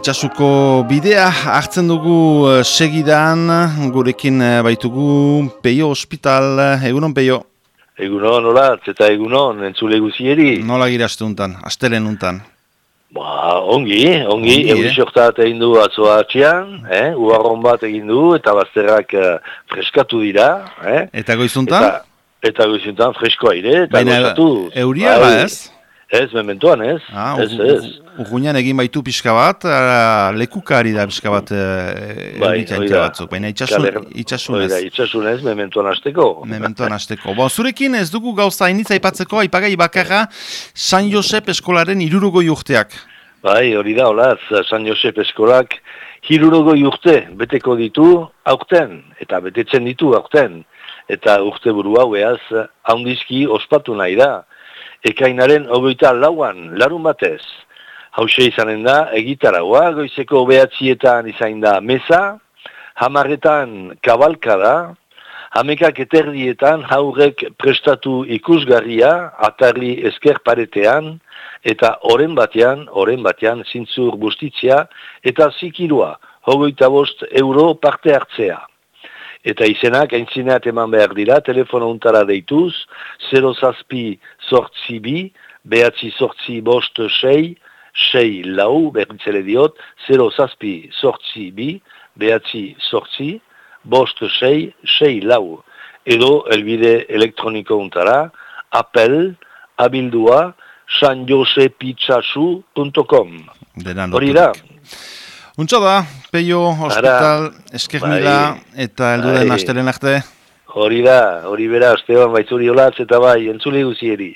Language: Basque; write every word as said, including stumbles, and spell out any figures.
Itsasuko bidea hartzen dugu uh, segidan, gurekin uh, baitugu Peio Hospital, egunon Peio? Egunon, olatz, eta egunon, entzule guzieri. Nola gira aste untan, astelen untan? Ba, ongi, ongi, Ongi, euri eh? sortat egin du atzoa atxian, eh? Uarron bat egin du, eta bazterrak uh, freskatu dira, eh? Eta goizuntan? Eta, eta goizuntan freskoa ire, eta Baina goizatu. euria ba ez? Ez, mementoan ez, Ah, ez, ez. Urgunean egin baitu pixka bat, uh, lekukari da pixka bat uh, Bai, euritaintea batzuk, baina itxasun, itxasunez. Oida, itxasunez, mementoan hasteko. Mementoan hasteko. Bon, zurekin ez dugu gauza hainitza aipatzeko, aipagai bakarra San Josep eskolaren hirurogoi urteak. Bai, hori da, olaz, San Josep eskolak hirurogoi urte beteko ditu aurten, eta betetzen ditu aurten. Eta urte buru hau eaz, haundizki ospatu nahi da. Ekainaren hogeita lauan, larun batez. Hauxe izanen da, egitaragoa, goizeko behatzietan izain da meza, hamarretan kabalka da, hamekak eterdietan haurrek prestatu ikusgarria, atarri esker paretean, eta oren batean, oren batean zintzur bustitzea, eta zikirua, hogeita bost euro parte hartzea. Eta izenak aintzineat eman behar dira, telefono untara deituz, zero zazpi sortzi bi, behatzi sortzi bost sei, sei lau, berritzele diot, zero zazpi sortzi bi, behatzi sortzi, bost sei, sei lau. Edo elbide elektroniko untara, apel, abildua, sanjosepitsasu punto com. Hori da. Untsa da, Peio Hospital, esker mila, eta heldu den astelen arte. Hori da, hori bera, Esteban Baitzuri olatz eta bai, entzule guzieri.